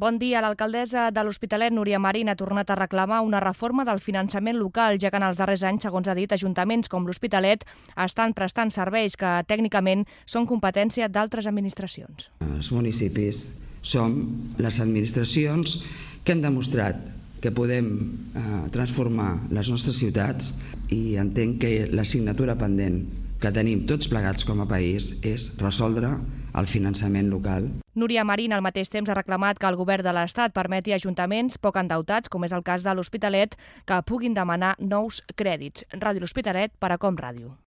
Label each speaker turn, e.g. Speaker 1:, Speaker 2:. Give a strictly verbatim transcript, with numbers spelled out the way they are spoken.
Speaker 1: Bon dia. L'alcaldessa de l'Hospitalet, Núria Marín, ha tornat a reclamar una reforma del finançament local, ja que en els darrers anys, segons ha dit, ajuntaments com l'Hospitalet estan prestant serveis que tècnicament són competència d'altres administracions.
Speaker 2: Els municipis som les administracions que hem demostrat que podem eh, transformar les nostres ciutats, i entenc que l'assignatura pendent que tenim tots plegats com a país és resoldre el finançament local.
Speaker 1: Núria Marín, al mateix temps, ha reclamat que el govern de l'Estat permeti a ajuntaments poc endeutats, com és el cas de l'Hospitalet, que puguin demanar nous crèdits. Ràdio L'Hospitalet, per a Com Ràdio.